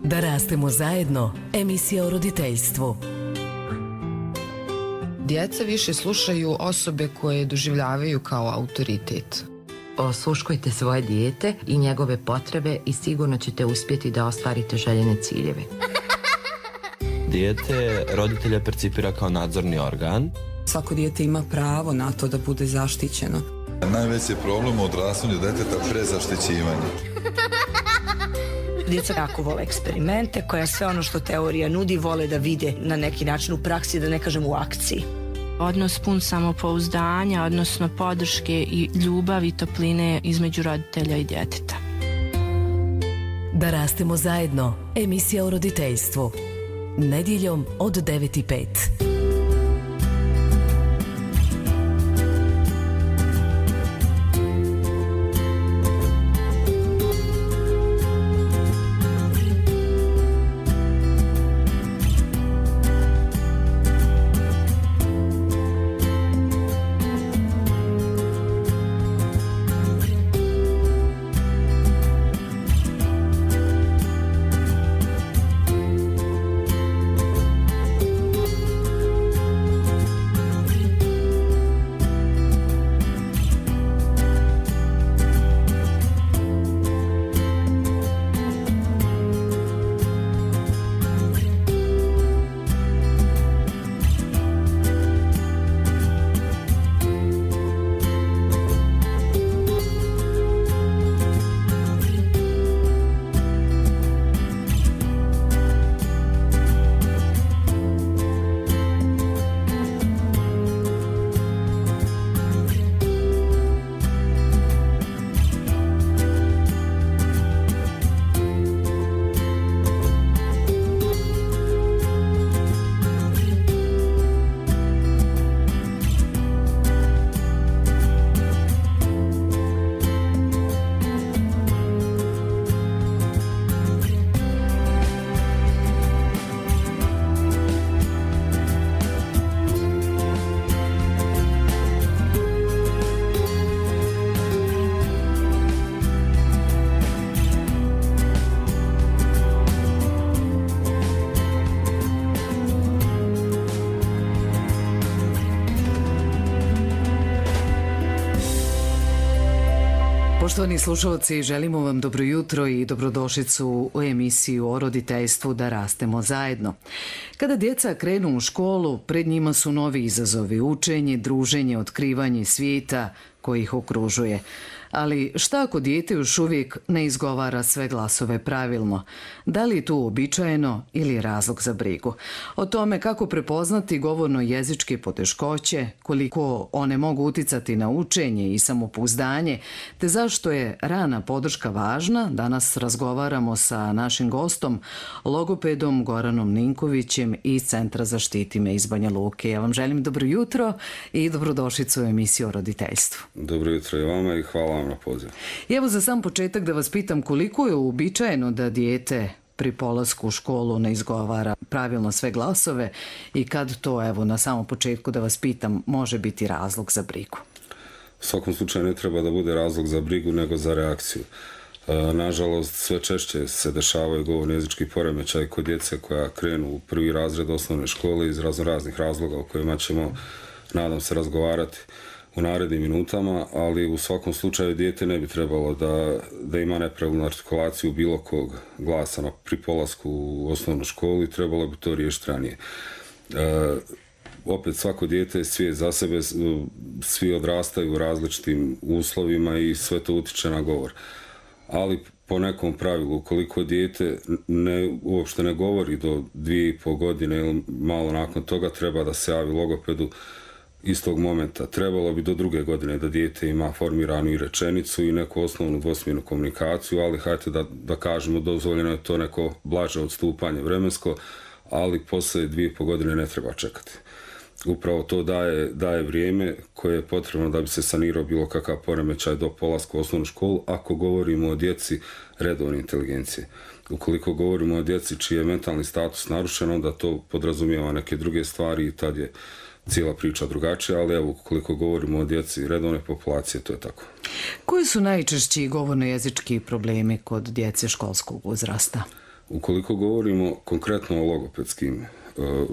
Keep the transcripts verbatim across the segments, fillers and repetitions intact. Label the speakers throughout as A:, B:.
A: Da rastemo zajedno, emisija o roditeljstvu.
B: Djeca više slušaju osobe koje doživljavaju kao autoritet.
C: Osluškujte svoje dijete i njegove potrebe i sigurno ćete uspjeti da ostvarite željene ciljeve.
D: Dijete roditelja percipira kao nadzorni organ.
E: Svako dijete ima pravo na to da bude zaštićeno.
F: Najveći problem u odrastanju djeteta prezaštićivanje.
G: Djeca jako vole eksperimente, koja sve ono što teorija nudi vole da vide na neki način u praksi, da ne kažem u akciji.
H: Odnos pun samopouzdanja, odnosno podrške i ljubavi i topline između roditelja i djeteta.
A: Da rastemo zajedno, emisija o roditeljstvu. Nedjeljom od devet i pet.
I: Poštovani slušalci, želimo vam dobro jutro i dobrodošlicu u emisiju o roditeljstvu Da rastemo zajedno. Kada djeca krenu u školu, pred njima su novi izazovi, učenje, druženje, otkrivanje svijeta koji ih okružuje. Ali šta ako dijete još uvijek ne izgovara sve glasove pravilno? Da li je tu uobičajeno ili je razlog za brigu? O tome kako prepoznati govorno-jezičke poteškoće, koliko one mogu uticati na učenje i samopouzdanje, te zašto je rana podrška važna, danas razgovaramo sa našim gostom, logopedom Goranom Ninkovićem iz Centra za Štiti me iz Banja Luke. Ja vam želim dobro jutro i dobrodošlicu u emisiju o roditeljstvu.
J: Dobro jutro i vama i hvala vam na poziv.
I: I evo za sam početak da vas pitam koliko je uobičajeno da dijete pri polasku u školu ne izgovara pravilno sve glasove i kad to, evo na samom početku da vas pitam, može biti razlog za brigu?
J: U svakom slučaju ne treba da bude razlog za brigu nego za reakciju. E, nažalost, sve češće se dešavaju govorno-jezički poremećaj kod djece koja krenu u prvi razred osnovne škole iz razno raznih razloga o kojima ćemo, nadam se, razgovarati u narednim minutama, ali u svakom slučaju dijete ne bi trebalo da, da ima nepravilnu artikulaciju bilo kog glasa na pri polasku u osnovnu školu i trebalo bi to riješiti ranije. E, opet svako dijete je svijet za sebe, svi odrastaju u različitim uslovima i sve to utiče na govor. Ali po nekom pravilu, ukoliko dijete ne, uopšte ne govori do dvije i pol godine ili malo nakon toga, treba da se javi logopedu istog momenta. Trebalo bi do druge godine da dijete ima formiranu i rečenicu i neku osnovnu dvosmjernu komunikaciju, ali hajte da, da kažemo, dozvoljeno je to neko blaže odstupanje vremensko, ali poslije dvije i pol godine ne treba čekati. Upravo to daje, daje vrijeme koje je potrebno da bi se sanirao bilo kakav poremećaj do polaska u osnovnu školu, ako govorimo o djeci redovne inteligencije. Ukoliko govorimo o djeci čiji je mentalni status narušen, onda to podrazumijeva neke druge stvari i tad je cijela priča drugačija, ali evo, koliko govorimo o djeci redovne populacije, to je tako.
I: Koji su najčešći govorno-jezički problemi kod djece školskog uzrasta?
J: Ukoliko govorimo konkretno o logopedskim,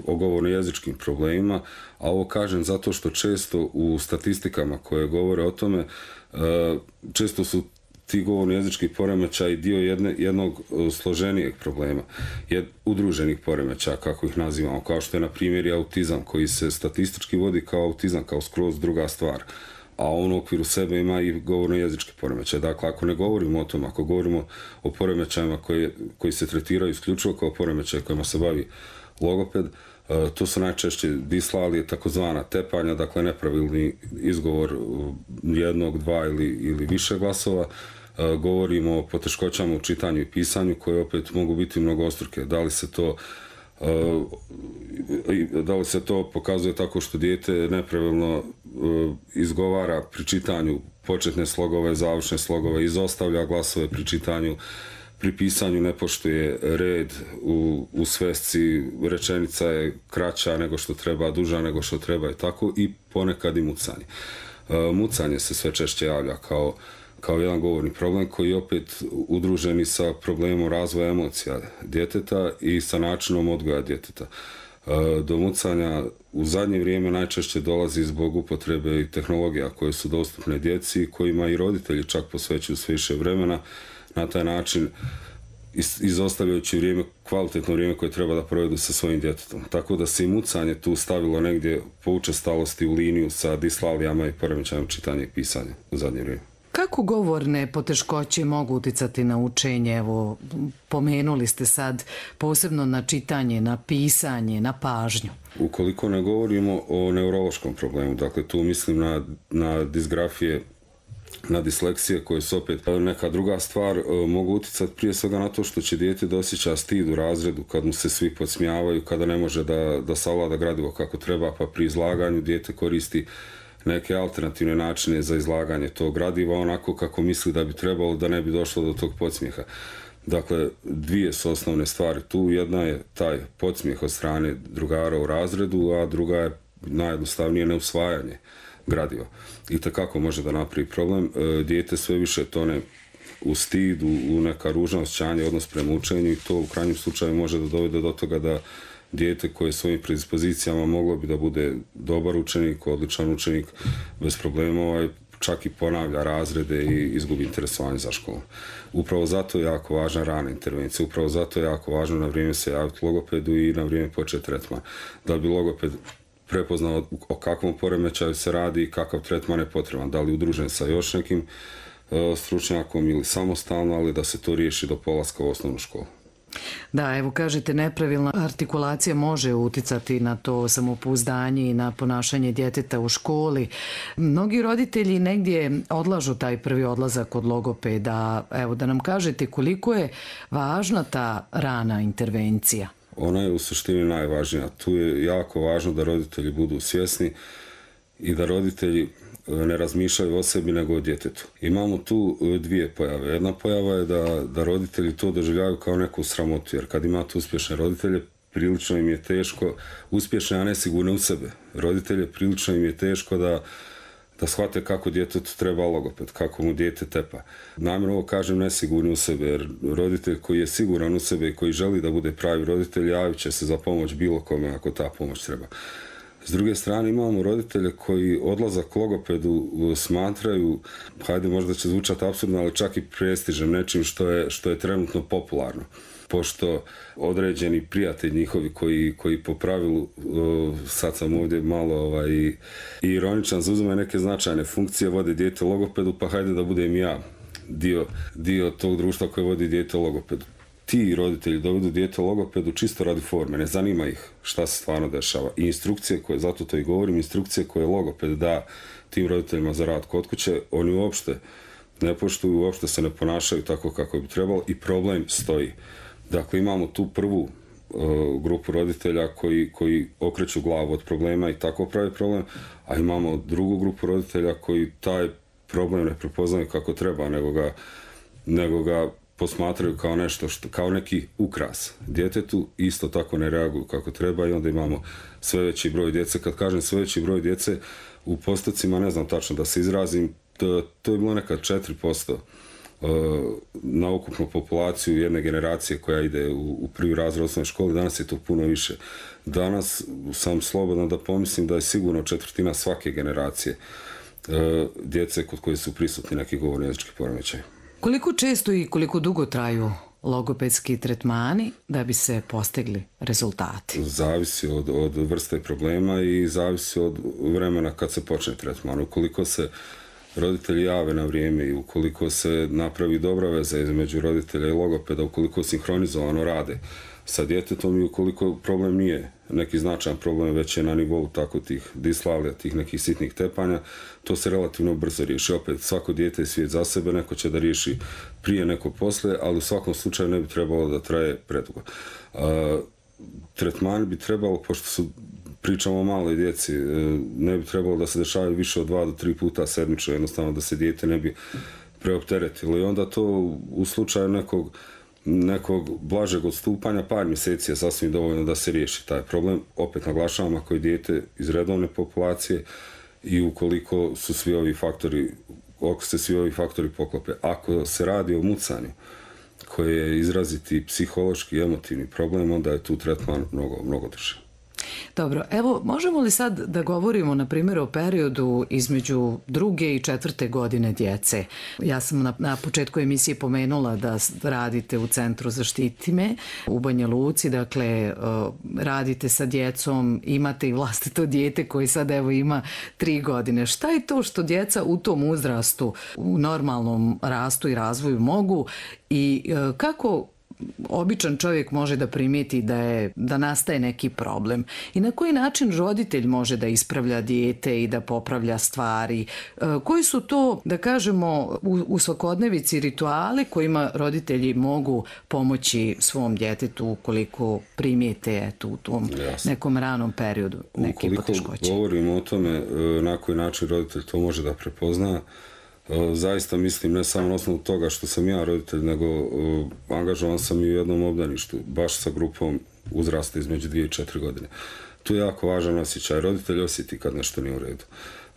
J: o govorno-jezičkim problemima, a ovo kažem zato što često u statistikama koje govore o tome, često su ti govorno-jezički poremećaj dio jedne, jednog složenijeg problema, jed, udruženih poremećaja, kako ih nazivamo, kao što je na primjer i autizam, koji se statistički vodi kao autizam, kao skroz druga stvar, a on u okviru sebe ima i govorno-jezički poremećaj. Dakle, ako ne govorimo o tom, ako govorimo o poremećajima koji, koji se tretiraju isključivo kao poremećaj kojima se bavi logoped, to su najčešće dislalije, takozvana tepanja, dakle nepravilni izgovor jednog, dva ili, ili više glasova. Govorimo o poteškoćama u čitanju i pisanju koje opet mogu biti mnogostruke. Da li se to da li se to pokazuje tako što dijete nepravilno izgovara pri čitanju početne slogove, završne slogove, izostavlja glasove pri čitanju, pri pisanju ne poštuje red u, u svesci, rečenica je kraća nego što treba, duža nego što treba i tako, i ponekad i mucanje. Mucanje se sve češće javlja kao kao jedan govorni problem koji je opet udruženi sa problemom razvoja emocija djeteta i sa načinom odgoja djeteta. Do mucanja u zadnje vrijeme najčešće dolazi zbog upotrebe i tehnologija koje su dostupne djeci, kojima i roditelji čak posvećuju sve više vremena, na taj način izostavljajući vrijeme, kvalitetno vrijeme koje treba da provedu sa svojim djetetom. Tako da se i mucanje tu stavilo negdje po učestalosti u liniju sa dislalijama i poremećajem čitanja i pisanja u zadnje vrijeme.
I: Kako govorne poteškoće mogu uticati na učenje? Evo, pomenuli ste sad posebno na čitanje, na pisanje, na pažnju.
J: Ukoliko ne govorimo o neurološkom problemu, dakle tu mislim na, na disgrafije, na disleksije koje su opet neka druga stvar, mogu uticati prije svega na to što će dijete da osjeća stid u razredu kad mu se svi podsmijavaju, kada ne može da, da savlada gradivo kako treba, pa pri izlaganju dijete koristi neke alternativne načine za izlaganje tog gradiva onako kako misli da bi trebalo, da ne bi došlo do tog podsmijeha. Dakle, dvije su osnovne stvari tu. Jedna je taj podsmijeh od strane drugara u razredu, a druga je najjednostavnije neusvajanje gradiva. I takako može da napravi problem. Dijete sve više tone u stid, u neka ružna osjećanja, odnos prema učenju, i to u krajnjem slučaju može da dovede do toga da dijete koje svojim predispozicijama moglo bi da bude dobar učenik, odličan učenik, bez problema, ovaj, čak i ponavlja razrede i izgubi interesovanje za školom. Upravo zato je jako važna rana intervencija, upravo zato je jako važno na vrijeme se javiti logopedu i na vrijeme početi tretman. Da bi logoped prepoznao o kakvom poremećaju se radi i kakav tretman je potreban, da li udružen sa još nekim uh, stručnjakom ili samostalno, ali da se to riješi do polaska u osnovnu školu.
I: Da, evo kažete, nepravilna artikulacija može uticati na to samopouzdanje i na ponašanje djeteta u školi. Mnogi roditelji negdje odlažu taj prvi odlazak kod logopeda. Evo da nam kažete koliko je važna ta rana intervencija.
J: Ona je u suštini najvažnija. Tu je jako važno da roditelji budu svjesni i da roditelji ne razmišljaju o sebi nego o djetetu. Imamo tu dvije pojave. Jedna pojava je da, da roditelji to doživljavaju kao neku sramotu, jer kad imate uspješne roditelje, prilično im je teško, uspješne, a ne sigurne u sebe. Roditelje prilično im je teško da, da shvate kako djetetu treba logoped, kako mu dijete tepa. Namjerno ovo kažem nesigurni u sebe, jer roditelj koji je siguran u sebe i koji želi da bude pravi roditelj, javit će se za pomoć bilo kome ako ta pomoć treba. S druge strane imamo roditelje koji odlazak logopedu smatraju, hajde možda će zvučati apsurdno, ali čak i prestižem, nečim što je, što je trenutno popularno. Pošto određeni prijatelji njihovi koji, koji po pravilu, sad sam ovdje malo ovaj, i ironičan, zauzimaju neke značajne funkcije, vode dijete logopedu, pa hajde da budem ja dio, dio tog društva koje vodi dijete logopedu. Ti roditelji dovedu dijete logopedu čisto radi forme, ne zanima ih šta se stvarno dešava. I instrukcije koje, zato to i govorim, instrukcije koje logoped da tim roditeljima za rad kod kuće, oni uopšte ne poštuju, uopšte se ne ponašaju tako kako bi trebalo i problem stoji. Dakle, imamo tu prvu uh, grupu roditelja koji, koji okreću glavu od problema i tako pravi problem, a imamo drugu grupu roditelja koji taj problem ne prepoznaju kako treba, nego ga, nego ga posmatraju kao nešto, što, kao neki ukras djetetu, isto tako ne reaguju kako treba i onda imamo sve veći broj djece. Kad kažem sve veći broj djece, u postocima ne znam tačno da se izrazim, to, to je bilo nekad četiri posto na ukupnu populaciju jedne generacije koja ide u, u prvi razred osnovne škole, danas je to puno više. Danas sam slobodan da pomislim da je sigurno četvrtina svake generacije djece kod koje su prisutni neki govorni jezički poremećaj.
I: Koliko često i koliko dugo traju logopedski tretmani da bi se postigli rezultati?
J: Zavisi od, od vrste problema i zavisi od vremena kad se počne tretman. Ukoliko se roditelji jave na vrijeme i ukoliko se napravi dobra veza između roditelja i logopeda, ukoliko sinhronizovano rade sa djetetom i ukoliko problem nije neki značajan problem, već je na nivou tako tih dislavlija, tih nekih sitnih tepanja, to se relativno brzo riješi. Opet, svako dijete je svijet za sebe, neko će da riješi prije, neko poslije, ali u svakom slučaju ne bi trebalo da traje predugo. A, tretmani bi trebalo, pošto su pričamo o maloj djeci, ne bi trebalo da se dešavaju više od dva do tri puta sedmično, jednostavno da se dijete ne bi preopteretilo. I onda to u slučaju nekog nekog blažeg odstupanja par mjeseci je sasvim dovoljno da se riješi taj problem. Opet naglašavam, ako je dijete iz redovne populacije i ukoliko su svi ovi faktori, ako se svi ovi faktori poklope. Ako se radi o mucanju koji je izraziti psihološki i emotivni problem, onda je tu tretman mnogo, mnogo duže.
I: Dobro, evo, možemo li sad da govorimo, na primjer, o periodu između druge i četvrte godine djece? Ja sam na, na početku emisije pomenula da radite u Centru Zaštiti me u Banja Luci, dakle, radite sa djecom, imate i vlastito dijete koji sad, evo, ima tri godine. Šta je to što djeca u tom uzrastu, u normalnom rastu i razvoju mogu i kako običan čovjek može da primijeti da je, da nastaje neki problem i na koji način roditelj može da ispravlja dijete i da popravlja stvari? Koji su to, da kažemo, u, u svakodnevici rituali kojima roditelji mogu pomoći svom djetetu ukoliko primijete eto, u tom Jasne. nekom ranom periodu neke poteškoće?
J: Ukoliko govorimo o tome na koji način roditelj to može da prepozna, zaista mislim ne samo na osnovu toga što sam ja roditelj, nego uh, angažovan sam i u jednom obdaništu, baš sa grupom uzrasta između dvije i četiri godine. Tu je jako važan osjećaj. Roditelj osjeti kad nešto nije u redu.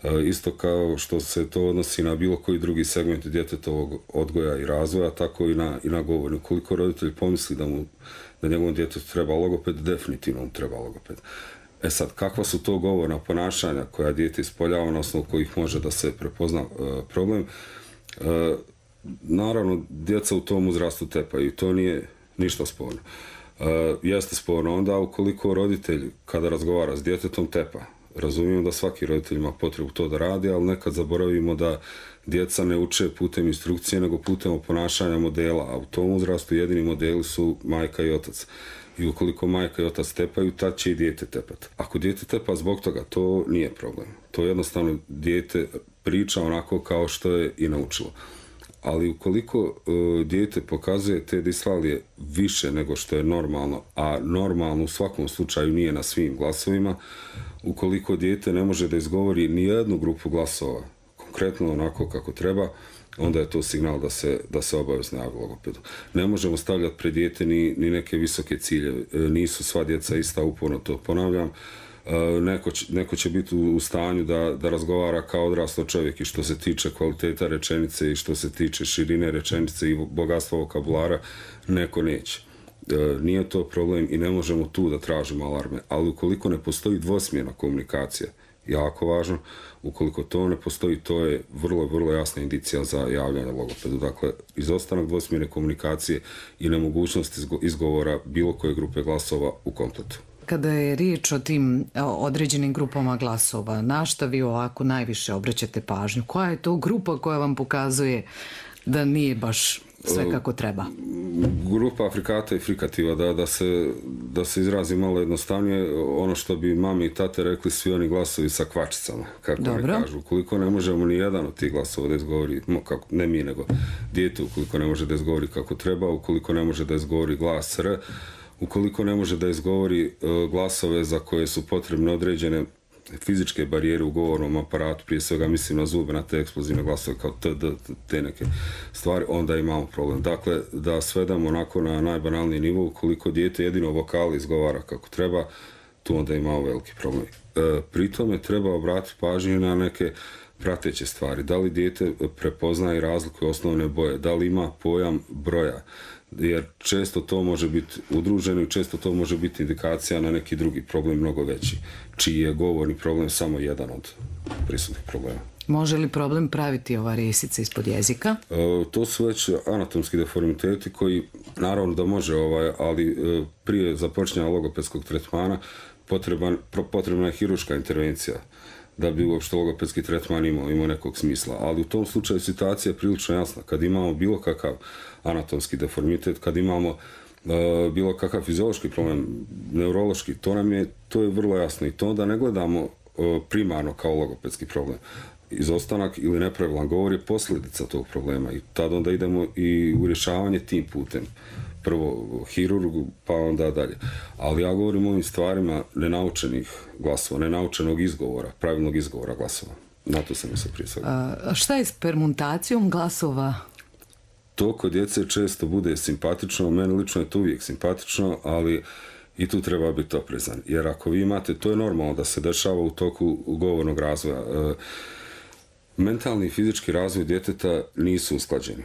J: Uh, isto kao što se to odnosi na bilo koji drugi segment djetetovog odgoja i razvoja, tako i na, i na govoru. Ukoliko roditelj pomisli da, mu, da njegovom djetetu treba logoped, definitivno mu treba logoped. E sad, kakva su to govorna ponašanja koja dijete ispoljava na osnovu kojih može da se prepozna e, problem? E, naravno, djeca u tom uzrastu tepaju i to nije ništa sporno. E, jeste sporno onda ukoliko roditelj kada razgovara s djetetom tepa. Razumijem da svaki roditelj ima potrebu to da radi, ali nekad zaboravimo da djeca ne uče putem instrukcije, nego putem ponašanja modela, a u tom uzrastu jedini modeli su majka i otac. I ukoliko majka i otac tepaju, tad će i dijete tepati. Ako dijete tepa zbog toga, to nije problem. To jednostavno dijete priča onako kao što je i naučilo. Ali ukoliko uh, dijete pokazuje te dislalije više nego što je normalno, a normalno u svakom slučaju nije na svim glasovima, ukoliko dijete ne može da izgovori ni jednu grupu glasova, konkretno onako kako treba, onda je to signal da se, da se obavezno javi logopedu. Ne možemo stavljati pred dijete ni, ni neke visoke ciljeve. Nisu sva djeca ista, uporno to ponavljam. Neko će, neko će biti u stanju da, da razgovara kao odraslo čovjek i što se tiče kvaliteta rečenice i što se tiče širine rečenice i bogatstva vokabulara, neko neće. Nije to problem i ne možemo tu da tražimo alarme. Ali ukoliko ne postoji dvosmjerna komunikacija, jako važno, ukoliko to ne postoji, to je vrlo, vrlo jasna indicija za javljanje logopedu. Dakle, izostanak dvosmjerne komunikacije i nemogućnost izgovora bilo koje grupe glasova u kompletu.
I: Kada je riječ o tim određenim grupama glasova, na šta vi ovako najviše obraćate pažnju? Koja je to grupa koja vam pokazuje da nije baš sve kako treba?
J: Grupa afrikata i frikativa, da, da, se, da se izrazi malo jednostavnije, ono što bi mami i tate rekli, svi oni glasovi sa kvačicama, kako ne kažu. Ukoliko ne možemo ni jedan od tih glasova da izgovori, kako, ne mi, nego dijete, ukoliko ne može da izgovori kako treba, ukoliko ne može da izgovori glas R, ukoliko ne može da izgovori uh, glasove za koje su potrebne određene fizičke barijere u govornom aparatu, prije svega mislim na zube, na te eksplozivne glasove kao t, d, te neke stvari, onda imamo problem. Dakle, da svedamo onako na najbanalniji nivo, ukoliko dijete jedino vokali izgovara kako treba, tu onda imamo veliki problem. E, pri tome treba obratiti pažnju na neke prateće stvari. Da li dijete prepoznaje i razlikuje osnovne boje, da li ima pojam broja, jer često to može biti udruženo i često to može biti indikacija na neki drugi problem mnogo veći, čiji je govorni problem samo jedan od prisutnih problema.
I: Može li problem praviti ova resica ispod jezika?
J: E, to su već anatomski deformiteti koji, naravno da može, ovaj, ali e, prije započinjanja logopedskog tretmana potreban, potrebna je hiruška intervencija da bi uopšte logopedski tretman imao, imao nekog smisla. Ali u tom slučaju situacija je prilično jasna. Kad imamo bilo kakav anatomski deformitet, kad imamo uh, bilo kakav fiziološki problem, neurološki, to nam je, to je vrlo jasno. I to onda ne gledamo uh, primarno kao logopedski problem. Izostanak ili nepravilan govor je posljedica tog problema i tad onda idemo i u rješavanje tim putem. Prvo hirurgu, pa onda dalje. Ali ja govorim o ovim stvarima nenaučenih glasova, nenaučenog izgovora, pravilnog izgovora glasova. Na to sam mislio prije svega.
I: A šta je s permutacijom glasova?
J: To kod djece često bude simpatično, meni lično je to uvijek simpatično, ali i tu treba biti oprezan. Jer ako vi imate, to je normalno da se dešava u toku govornog razvoja. E, mentalni i fizički razvoj djeteta nisu usklađeni.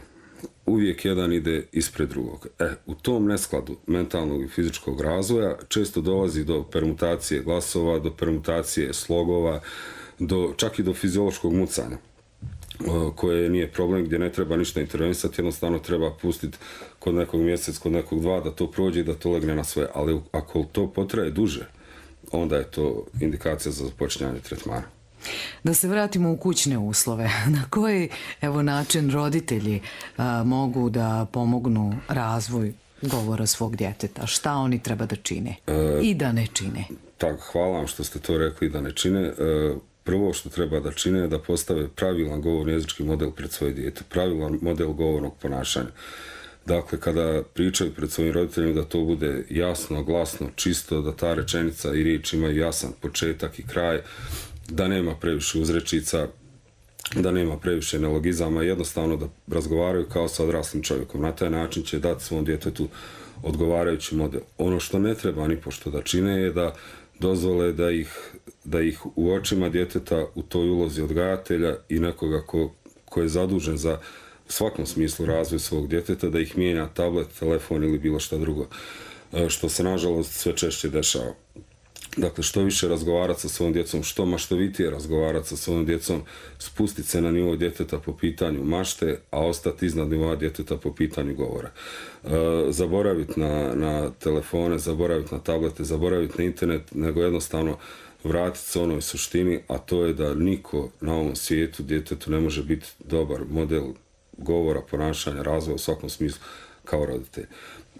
J: Uvijek jedan ide ispred drugog. E, u tom neskladu mentalnog i fizičkog razvoja često dolazi do permutacije glasova, do permutacije slogova, do, čak i do fiziološkog mucanja, koje nije problem, gdje ne treba ništa intervenisati, jednostavno treba pustiti kod nekog mjesec, kod nekog dva, da to prođe i da to legne na sve. Ali ako to potraje duže, onda je to indikacija za započinjanje tretmana.
I: Da se vratimo u kućne uslove. Na koji, evo, način roditelji a, mogu da pomognu razvoj govora svog djeteta? Šta oni treba da čine e, i da ne čine?
J: Tak, hvala vam što ste to rekli da ne čine. E, prvo što treba da čine je da postave pravilan govorni jezički model pred svoje dijete, pravilan model govornog ponašanja. Dakle, kada pričaju pred svojim roditeljima, da to bude jasno, glasno, čisto, da ta rečenica i riječ imaju jasan početak i kraj, da nema previše uzrečica, da nema previše neologizama, jednostavno da razgovaraju kao sa odraslim čovjekom. Na taj način će dati svom djetetu odgovarajući model. Ono što ne treba ni pošto da čine je da dozvole da ih, da ih u očima djeteta u toj ulozi odgajatelja i nekoga ko, ko je zadužen za u svakom smislu razvoj svog djeteta, da ih mijenja tablet, telefon ili bilo šta drugo, što se nažalost sve češće dešava. Dakle, što više razgovarati sa svojom djecom, što maštovitije razgovarati sa svojom djecom, spustiti se na nivo djeteta po pitanju mašte, a ostati iznad nivoa djeteta po pitanju govora. E, zaboraviti na, na telefone, zaboraviti na tablete, zaboraviti na internet, nego jednostavno vratiti se onoj suštini, a to je da niko na ovom svijetu djetetu ne može biti dobar model govora, ponašanja, razvoja u svakom smislu kao roditelj.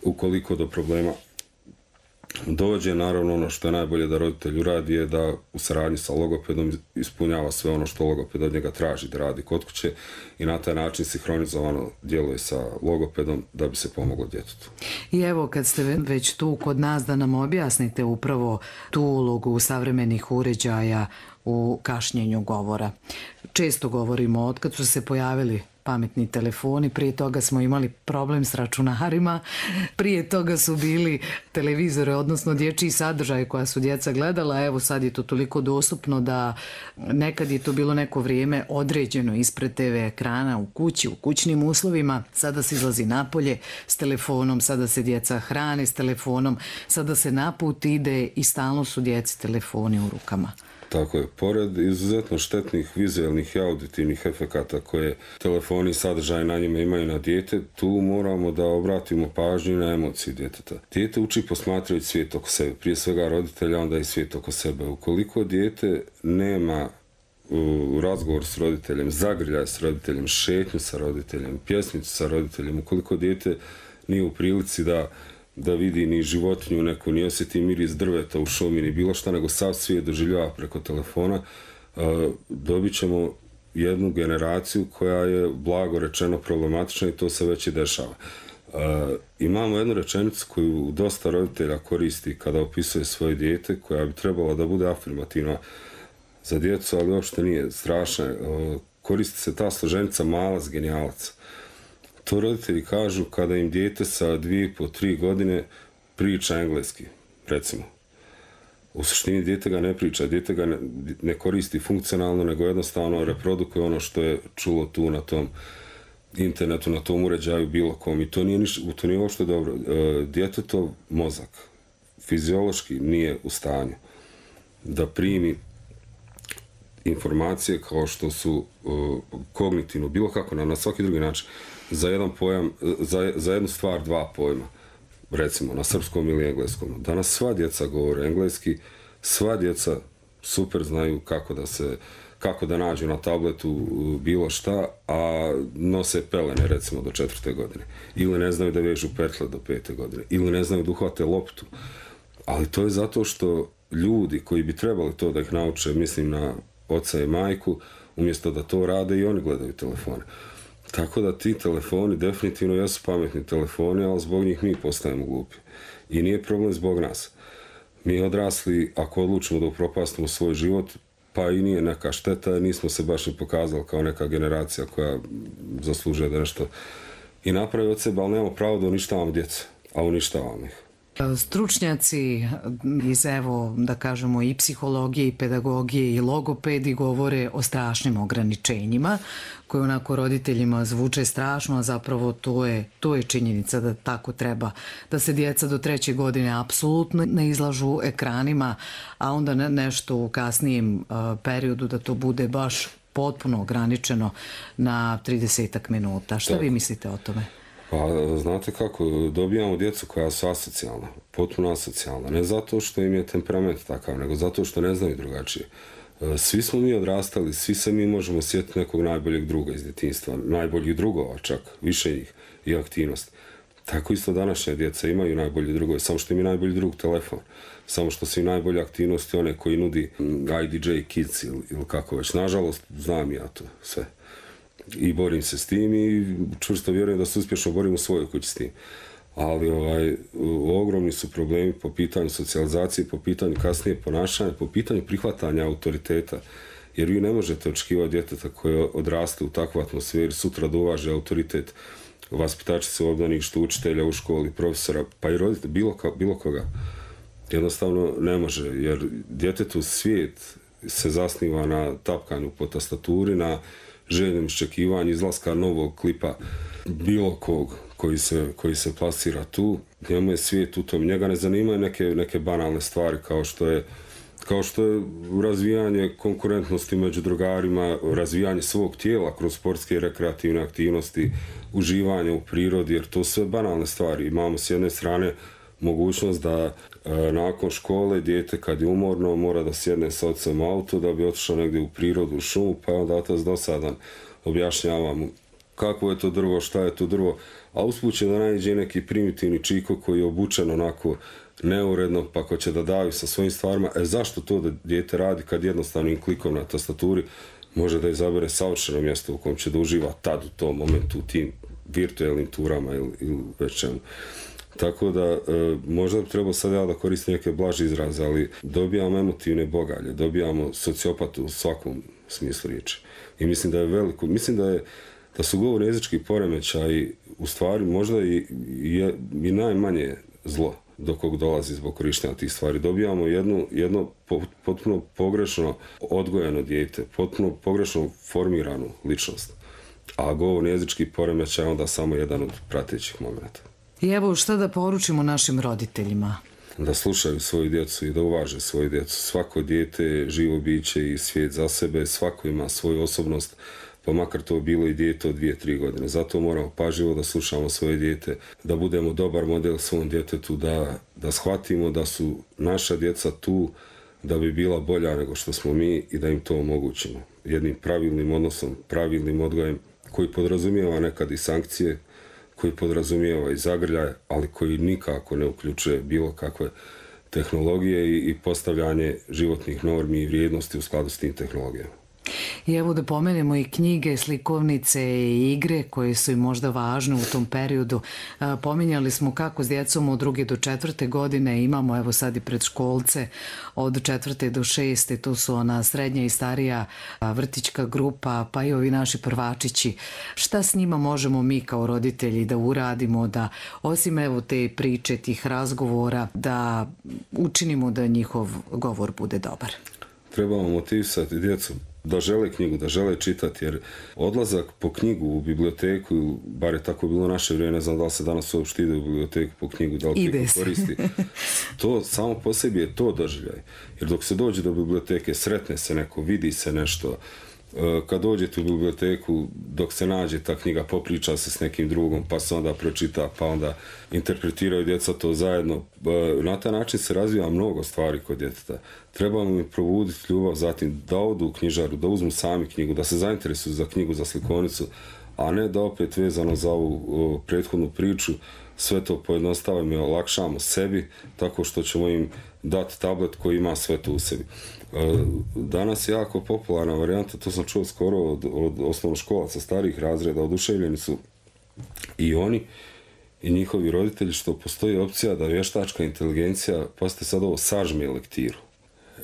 J: Ukoliko do problema dođe, naravno ono što je najbolje da roditelj uradi je da u saradnji sa logopedom ispunjava sve ono što logoped od njega traži da radi kod kuće i na taj način sinhronizovano djeluje sa logopedom da bi se pomoglo djetetu.
I: I evo, kad ste već tu kod nas, da nam objasnite upravo tu ulogu savremenih uređaja u kašnjenju govora. Često govorimo, otkad su se pojavili pametni telefoni, prije toga smo imali problem s računarima, prije toga su bili televizore, odnosno dječji sadržaj koja su djeca gledala, evo sad je to toliko dostupno da nekad je to bilo neko vrijeme određeno ispred te ve ekrana u kući, u kućnim uslovima, sada se izlazi napolje s telefonom, sada se djeca hrane s telefonom, sada se na put ide i stalno su djeci telefoni u rukama.
J: Tako je. Pored izuzetno štetnih vizualnih i auditivnih efekata koje telefoni i sadržaj na njima imaju na dijete, tu moramo da obratimo pažnju na emocije djeteta. Dijete uči posmatrajući svijet oko sebe, prije svega roditelja, onda i svijet oko sebe. Ukoliko dijete nema u razgovor s roditeljem, zagrljaj s roditeljem, šetnju sa roditeljem, pjesmicu sa roditeljem, ukoliko dijete nije u prilici da da vidi ni životinju neku, ni osjeti miris drveta u šumi, ni bilo šta, nego sav svijet doživljava preko telefona, dobit ćemo jednu generaciju koja je, blago rečeno, problematična i to se već i dešava. Imamo jednu rečenicu koju dosta roditelja koristi kada opisuje svoje dijete, koja bi trebala da bude afirmativna za djecu, ali uopšte nije strašna. Koristi se ta složenica malac genijalac. To roditelji kažu kada im dijete sa dvije po tri godine priča engleski, recimo. U suštini dijete ga ne priča, dijete ga ne, ne koristi funkcionalno, nego jednostavno reprodukuje ono što je čulo tu na tom internetu, na tom uređaju bilo kom. I to nije, niš, to nije uopšte dobro. E, djetetov mozak fiziološki nije u stanju da primi informacije kao što su uh, kognitivno, bilo kako, na, na svaki drugi način, za jedan pojam, za, za jednu stvar dva pojma, recimo na srpskom ili engleskom. Danas sva djeca govore engleski, sva djeca super znaju kako da se, kako da nađu na tabletu bilo šta, a nose pelene recimo do četvrte godine. Ili ne znaju da vežu petle do pete godine. Ili ne znaju da uhvate loptu. Ali to je zato što ljudi koji bi trebali to da ih nauče, mislim na oca i majku, umjesto da to rade i oni gledaju telefone. Tako da ti telefoni definitivno jesu pametni telefoni, ali zbog njih mi postajemo glupi. I nije problem zbog nas. Mi odrasli, ako odlučimo da upropastimo svoj život, pa i nije neka šteta, jer nismo se baš ni pokazali kao neka generacija koja zaslužuje da nešto i napravi od sebe, ali nemamo pravo da uništavamo djecu, a uništavamo ih.
I: Stručnjaci iz, evo, da kažemo, i psihologije, i pedagogije, i logopedi govore o strašnim ograničenjima, koje onako roditeljima zvuče strašno, a zapravo to je, to je činjenica da tako treba, da se djeca do treće godine apsolutno ne izlažu ekranima, a onda ne, nešto u kasnijem uh, periodu da to bude baš potpuno ograničeno na tridesetak minuta. Šta tako vi mislite o tome?
J: Pa, znate kako, dobijamo djecu koja su asocijalna, potpuno asocijalna. Ne zato što im je temperament takav, nego zato što ne znaju drugačije. Svi smo mi odrastali, svi se mi možemo sjetiti nekog najboljeg druga iz djetinjstva, najboljih drugova čak, više ih i aktivnost. Tako isto današnja djeca imaju najbolji drugove, samo što im je najbolji drug telefon. Samo što su i najbolje aktivnosti one koji nudi I D J Kids ili, ili kako već. Nažalost, znam ja to sve. I borim se s tim i čvrsto vjerujem da se uspješno borim u svojoj kući s tim. Ali ovaj, ogromni su problemi po pitanju socijalizacije, po pitanju kasnije ponašanja, po pitanju prihvatanja autoriteta. Jer vi ne možete očekivati djeteta koje odraste u takvu atmosferi sutra da uvaže autoritet vaspitačice u obdaništu, učitelja u školi, profesora, pa i roditelja, bilo, ka, bilo koga. Jednostavno ne može, jer djetetu svijet se zasniva na tapkanju po tastaturi, na željenom iščekivanju izlaska novog klipa bilo kog koji se, koji se plasira tu. Njemu je svijet u tom. Njega ne zanimaju neke, neke banalne stvari kao što je kao što je razvijanje konkurentnosti među drugarima, razvijanje svog tijela kroz sportske i rekreativne aktivnosti, uživanje u prirodi, jer to sve banalne stvari. Imamo s jedne strane mogućnost da e, nakon škole dijete kad je umorno mora da sjedne sa ocem u auto da bi otišao negdje u prirodu, u šumu, pa onda otac dosadan objašnjava mu kako je to drvo, šta je to drvo, a usput će da naiđe neki primitivni čiko koji je obučen onako neuredno, pa ko će da daju sa svojim stvarima. E zašto to da dijete radi kad jednostavnim klikom na tastaturi može da izabere savršeno mjesto u kojem će da uživa tad u tom momentu, u tim virtualnim turama ili, ili već čemu. Tako da, e, možda bi trebao sad ja da koristim neke blaže izraze, ali dobijamo emotivne bogalje, dobijamo sociopatu u svakom smislu riječi. I mislim da je veliko, mislim da je da su govorni jezički poremećaji u stvari možda i, i, i najmanje zlo do kog dolazi zbog korištenja tih stvari. Dobijamo jednu, jedno potpuno pogrešno odgojeno dijete, potpuno pogrešno formiranu ličnost. A govorni jezički poremećaj je onda samo jedan od pratećih momenta.
I: I evo šta da poručimo našim roditeljima?
J: Da slušaju svoju djecu i da uvaže svoju djecu. Svako dijete je živo biće i svijet za sebe, svako ima svoju osobnost, pa makar to bilo i dijete od dvije, tri godine. Zato moramo pažljivo da slušamo svoje dijete, da budemo dobar model svom djetetu, da, da shvatimo da su naša djeca tu da bi bila bolja nego što smo mi i da im to omogućimo. Jednim pravilnim odnosom, pravilnim odgojem koji podrazumijeva nekad i sankcije, koji podrazumijeva i zagrljaj, ali koji nikako ne uključuje bilo kakve tehnologije i, i postavljanje životnih normi i vrijednosti u skladu s tim tehnologijama.
I: I evo da pomenemo i knjige, slikovnice i igre koje su im možda važne u tom periodu. Pominjali smo kako s djecom od druge do četvrte godine imamo, evo sad i predškolce od četvrte do šeste, to su ona srednja i starija vrtićka grupa, pa i ovi naši prvačići. Šta s njima možemo mi kao roditelji da uradimo, da osim evo te priče, tih razgovora, da učinimo da njihov govor bude dobar?
J: Trebamo motivisati djecu da žele knjigu, da žele čitati, jer odlazak po knjigu u biblioteku, bar je tako bilo naše vrijeme, ne znam da li se danas uopšte ide u biblioteku po knjigu, da li knjigu koristi. To samo po sebi je to doživljaj. Jer dok se dođe do biblioteke, sretne se neko, vidi se nešto. Kad dođete u biblioteku, dok se nađe ta knjiga, popriča se s nekim drugom, pa se onda pročita, pa onda interpretiraju djeca to zajedno. Na taj način se razvija mnogo stvari kod djeteta. Trebamo im probuditi ljubav, zatim da odu u knjižaru, da uzmu sami knjigu, da se zainteresuju za knjigu, za slikovnicu, a ne da opet vezano za ovu prethodnu priču sve to pojednostavimo i olakšamo sebi tako što ćemo im dati tablet koji ima sve to u sebi. Danas je jako popularna varijanta, to sam čuo skoro od, od osnovnoškolaca starih razreda, oduševljeni su i oni i njihovi roditelji što postoji opcija da vještačka inteligencija, pa ste sad ovo, sažme lektiru.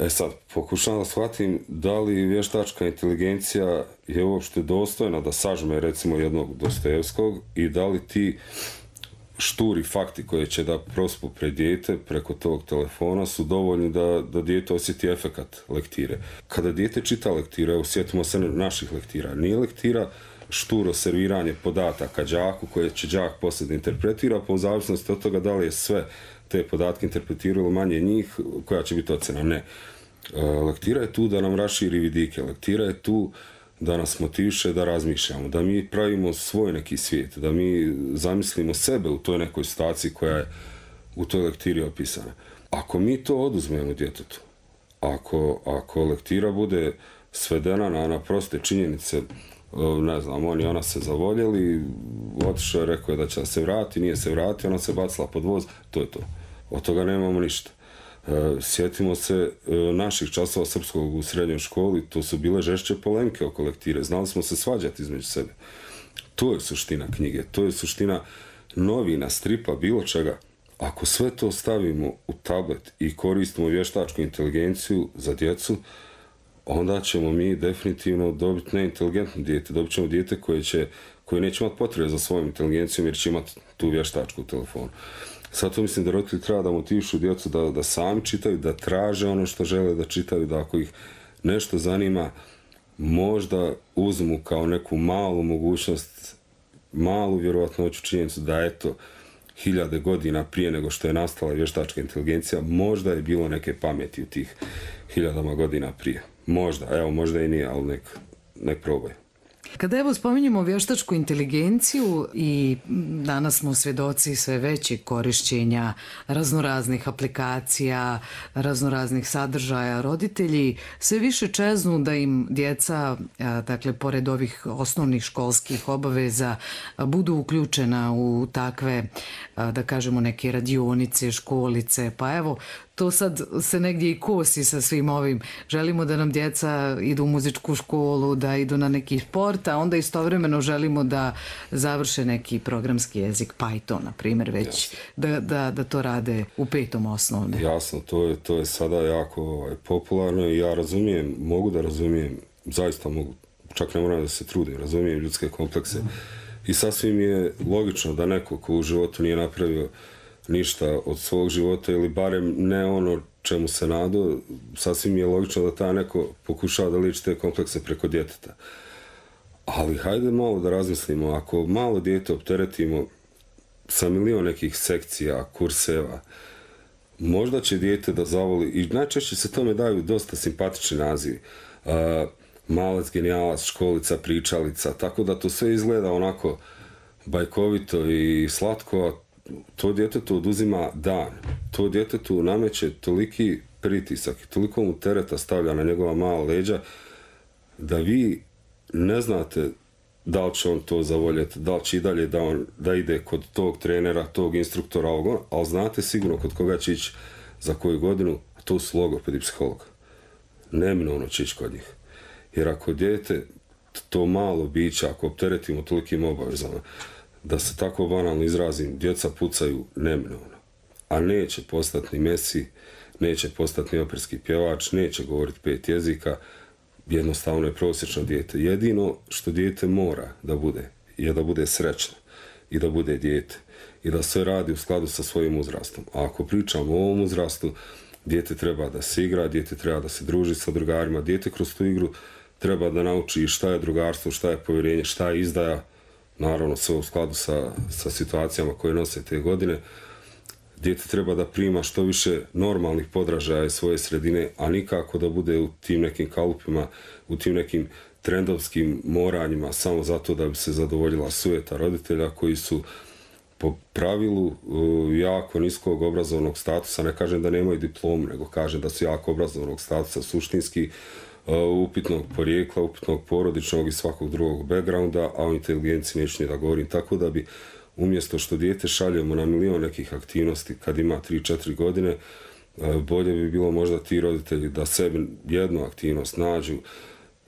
J: E sad, pokušavam da shvatim da li vještačka inteligencija je uopšte dostojna da sažme recimo jednog Dostojevskog i da li ti šturi fakti koje će da prospu pred dijete preko tog telefona su dovoljni da, da dijete osjeti efekat lektire. Kada dijete čita lektire, osjetimo se naših lektira. Nije lektira šturo serviranje podataka đaku koje će đak poslije da interpretira, pa u zavisnosti od toga da li je sve te podatke interpretiralo manje njih, koja će biti ocena. Ne. Lektira je tu da nam raširi vidike. Lektira je tu da nas motiviše da razmišljamo, da mi pravimo svoj neki svijet, da mi zamislimo sebe u toj nekoj situaciji koja je u toj lektiri opisana. Ako mi to oduzmemo djetetu, ako, ako lektira bude svedena na, na proste činjenice, ne znam, on i ona se zavoljeli, otišao je, rekao je da će se vrati, nije se vrati, ona se bacila pod voz, to je to. Od toga nemamo ništa. Sjetimo se naših časova srpskog u srednjoj školi, to su bile žešće polemke oko lektire, znali smo se svađati između sebe. To je suština knjige, to je suština novina, stripa, bilo čega. Ako sve to stavimo u tablet i koristimo vještačku inteligenciju za djecu, onda ćemo mi definitivno dobiti neinteligentno dijete, dobit ćemo dijete koje, će, koje neće imati potrebe za svojom inteligencijom jer će imati tu vještačku u telefonu. Zato mislim da roditelji treba da motivišu djecu da, da sami čitaju, da traže ono što žele da čitaju, da ako ih nešto zanima, možda uzmu kao neku malu mogućnost, malu vjerovatnoću činjenicu da eto, hiljade godina prije nego što je nastala vještačka inteligencija, možda je bilo neke pameti u tih hiljadama godina prije. Možda, evo, možda i nije, ali nek, nek probaj.
I: Kada evo spominjemo vještačku inteligenciju i danas smo svjedoci sve većeg korišćenja raznoraznih aplikacija, raznoraznih sadržaja, roditelji sve više čeznu da im djeca, dakle, pored ovih osnovnih školskih obaveza, budu uključena u takve, da kažemo, neke radionice, školice, pa evo, to sad se negdje i kosi sa svim ovim. Želimo da nam djeca idu u muzičku školu, da idu na neki sport, a onda istovremeno želimo da završe neki programski jezik, Python, na primjer, već da, da, da to rade u petom osnovne.
J: Jasno, to je, to je sada jako ovaj, popularno i ja razumijem, mogu da razumijem, zaista mogu, čak ne moram da se trudim, razumijem ljudske komplekse i sasvim je logično da neko ko u životu nije napravio ništa od svog života ili barem ne ono čemu se nadao, sasvim je logično da ta neko pokušava da liči te komplekse preko djeteta. Ali hajde malo da razmislimo, ako malo dijete opteretimo sa milion nekih sekcija, kurseva, možda će dijete da zavoli, i najčešće se tome daju dosta simpatični nazivi. Uh, malac, genijalac, školica, pričalica, tako da to sve izgleda onako bajkovito i slatko, a to djetetu oduzima dan. To djetetu nameće toliki pritisak i toliko mu tereta stavlja na njegova mala leđa da vi ne znate da li će on to zavoljeti, da li će i dalje da, on, da ide kod tog trenera, tog instruktora, ali znate sigurno kod koga će ići za koju godinu, a to su logopedi psiholog. Neminovno će ići kod njih. Jer ako dijete, to malo biće, ako opteretimo tolikim obavezama, da se tako banalno izrazim, djeca pucaju neminovno. A neće postati ni Messi, neće postati ni operski pjevač, neće govoriti pet jezika, jednostavno je prosječno dijete. Jedino što dijete mora da bude, je da bude srećno i da bude dijete. I da sve radi u skladu sa svojim uzrastom. A ako pričamo o ovom uzrastu, dijete treba da se igra, dijete treba da se druži sa drugarima, dijete kroz tu igru treba da nauči šta je drugarstvo, šta je povjerenje, šta je izdaja, naravno sve u skladu sa, sa situacijama koje nose te godine. Dijete treba da prima što više normalnih podražaja iz svoje sredine, a nikako da bude u tim nekim kalupima, u tim nekim trendovskim moranjima, samo zato da bi se zadovoljila sujeta roditelja koji su po pravilu jako niskog obrazovnog statusa. Ne kažem da nemaju diplomu, nego kažem da su jako obrazovnog statusa suštinski, upitnog porijekla, upitnog porodičnog i svakog drugog backgrounda, a o inteligenciji neću ni da govorim. Tako da bi umjesto što dijete šaljemo na milion nekih aktivnosti kad ima tri četiri godine, bolje bi bilo možda ti roditelji da sebi jednu aktivnost nađu,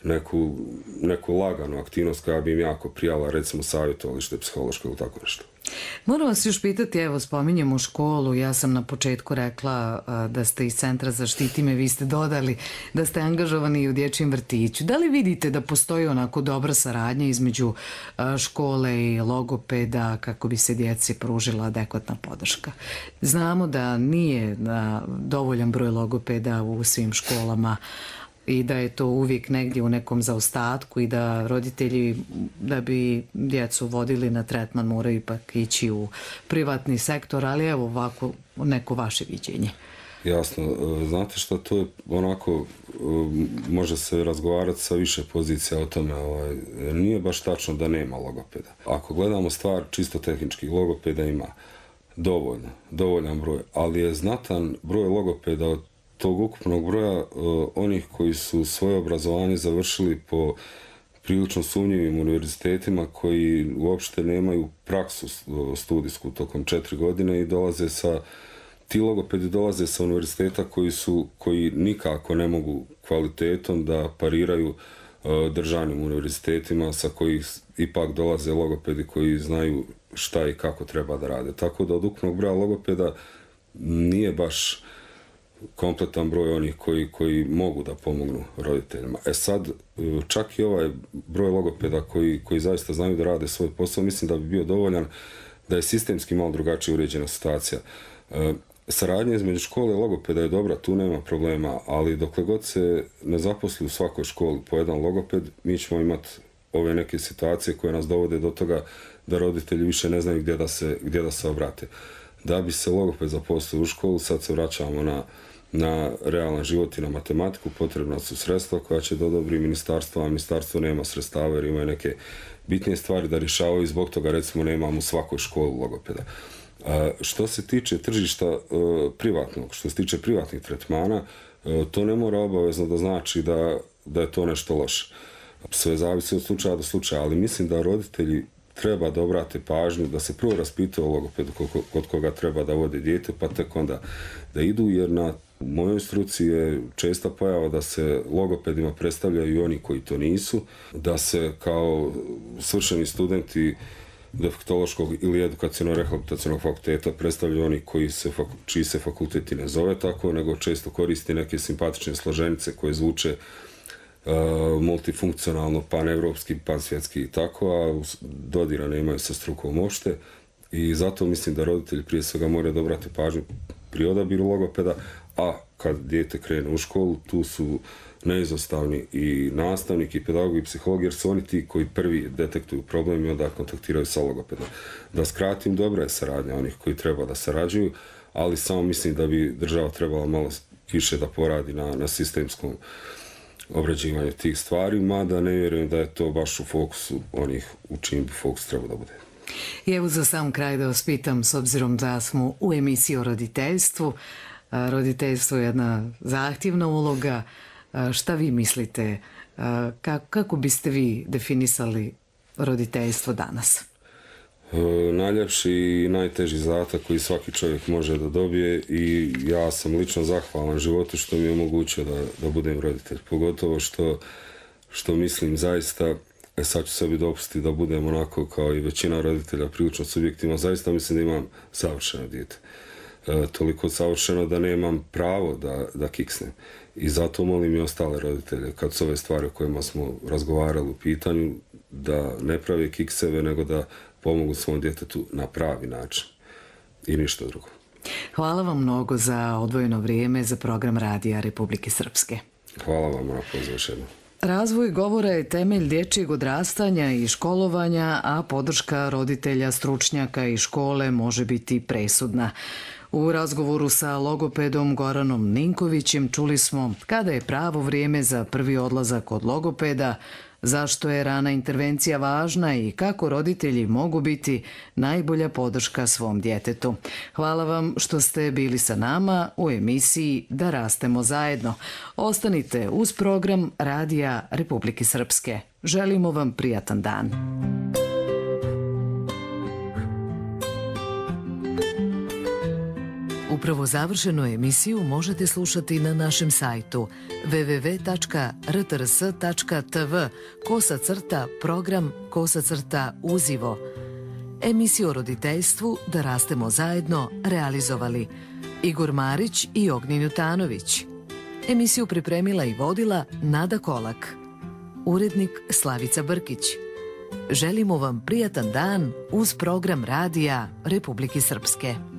J: neku, neku laganu aktivnost koja bi im jako prijala, recimo savjetovalište psihološko ili tako nešto.
I: Moram vas još pitati, evo spominjemo školu, ja sam na početku rekla da ste iz Centra Zaštiti me, vi ste dodali da ste angažovani i u dječjem vrtiću. Da li vidite da postoji onako dobra saradnja između škole i logopeda kako bi se djeci pružila adekvatna podrška? Znamo da nije dovoljan broj logopeda u svim školama i da je to uvijek negdje u nekom zaostatku i da roditelji, da bi djecu vodili na tretman, moraju ipak ići u privatni sektor, ali evo ovako neko vaše viđenje.
J: Jasno, znate što, to je onako, može se razgovarati sa više pozicija o tome, ovaj, nije baš tačno da nema logopeda. Ako gledamo stvar čisto tehnički, logopeda ima dovoljno, dovoljan broj, ali je znatan broj logopeda od tog ukupnog broja uh, onih koji su svoje obrazovanje završili po prilično sumnjivim univerzitetima koji uopšte nemaju praksu studijsku tokom četiri godine i dolaze sa, ti logopedi dolaze sa univerziteta koji su, koji nikako ne mogu kvalitetom da pariraju uh, državnim univerzitetima sa kojih ipak dolaze logopedi koji znaju šta i kako treba da rade. Tako da od ukupnog broja logopeda nije baš kompletan broj onih koji, koji mogu da pomognu roditeljima. E sad, čak i ovaj broj logopeda koji, koji zaista znaju da rade svoj posao, mislim da bi bio dovoljan da je sistemski malo drugačije uređena situacija. E, saradnja između škole i logopeda je dobra, tu nema problema, ali dokle god se ne zaposli u svakoj školi po jedan logoped, mi ćemo imati ove neke situacije koje nas dovode do toga da roditelji više ne znaju gdje da se, gdje da se obrate. Da bi se logoped zaposlio u školu, sad se vraćamo na, na realan život i na matematiku, potrebna su sredstva koja će da odobri ministarstvo, a ministarstvo nema sredstava jer imaju neke bitnije stvari da rješavaju i zbog toga recimo nemamo u svakoj školi logopeda. A, što se tiče tržišta e, privatnog, što se tiče privatnih tretmana, e, to ne mora obavezno da znači da, da je to nešto loše. Sve zavisi od slučaja do slučaja, ali mislim da roditelji treba da obrate pažnju, da se prvo raspitaju o logopedu kod koga treba da vode dijete, pa tek onda da idu, jer na mojoj struci je česta pojava da se logopedima predstavljaju i oni koji to nisu, da se kao svršeni studenti defektološkog ili edukaciono-rehabilitacionog fakulteta predstavljaju oni koji se, čiji se fakulteti ne zove tako, nego često koristi neke simpatične složenice koje zvuče Uh, multifunkcionalno, panevropski, pansvjetski i tako, a dodira nemaju sa strukom uopšte i zato mislim da roditelji prije svega moraju da obrate pažnju pri odabiru logopeda, a kad dijete krene u školu, tu su neizostavni i nastavnik i pedagog i psiholog, jer su oni ti koji prvi detektuju problem i onda kontaktiraju sa logopedom. Da skratim, dobra je saradnja onih koji treba da sarađuju, ali samo mislim da bi država trebala malo više da poradi na, na sistemskom obrađivanje tih stvari, mada ne vjerujem da je to baš u fokusu onih u čim bi fokus trebao da bude.
I: I evo za sam kraj da vas pitam, s obzirom da smo u emisiji o roditeljstvu, roditeljstvo je jedna zahtjevna uloga, šta vi mislite, kako biste vi definisali roditeljstvo danas?
J: Najljepši i najteži zadatak koji svaki čovjek može da dobije i ja sam lično zahvalan životu što mi je omogućio da, da budem roditelj. Pogotovo što, što mislim zaista, e sad ću sebi dopustiti da budem onako kao i većina roditelja prilično subjektivno, zaista mislim da imam savršeno dijete. E, toliko savršeno da nemam pravo da, da kiksnem. I zato molim i ostale roditelje, kad su ove stvari o kojima smo razgovarali u pitanju, da ne prave kikseve, nego da pomogu svom djetetu na pravi način. I ništa drugo.
I: Hvala vam mnogo za odvojeno vrijeme za program Radija Republike Srpske.
J: Hvala vam na pozivu.
I: Razvoj govora je temelj dječjeg odrastanja i školovanja, a podrška roditelja, stručnjaka i škole može biti presudna. U razgovoru sa logopedom Goranom Ninkovićem čuli smo kada je pravo vrijeme za prvi odlazak kod logopeda, zašto je rana intervencija važna i kako roditelji mogu biti najbolja podrška svom djetetu. Hvala vam što ste bili sa nama u emisiji Da rastemo zajedno. Ostanite uz program Radija Republike Srpske. Želimo vam prijatan dan. Upravo završenu emisiju možete slušati na našem sajtu w w w tačka r t r s tačka t v kosa crta program kosa crta uzivo. Emisiju o roditeljstvu Da rastemo zajedno realizovali Igor Marić i Ognjen Jutanović. Emisiju pripremila i vodila Nada Kolak. Urednik Slavica Brkić. Želimo vam prijatan dan uz program Radija Republike Srpske.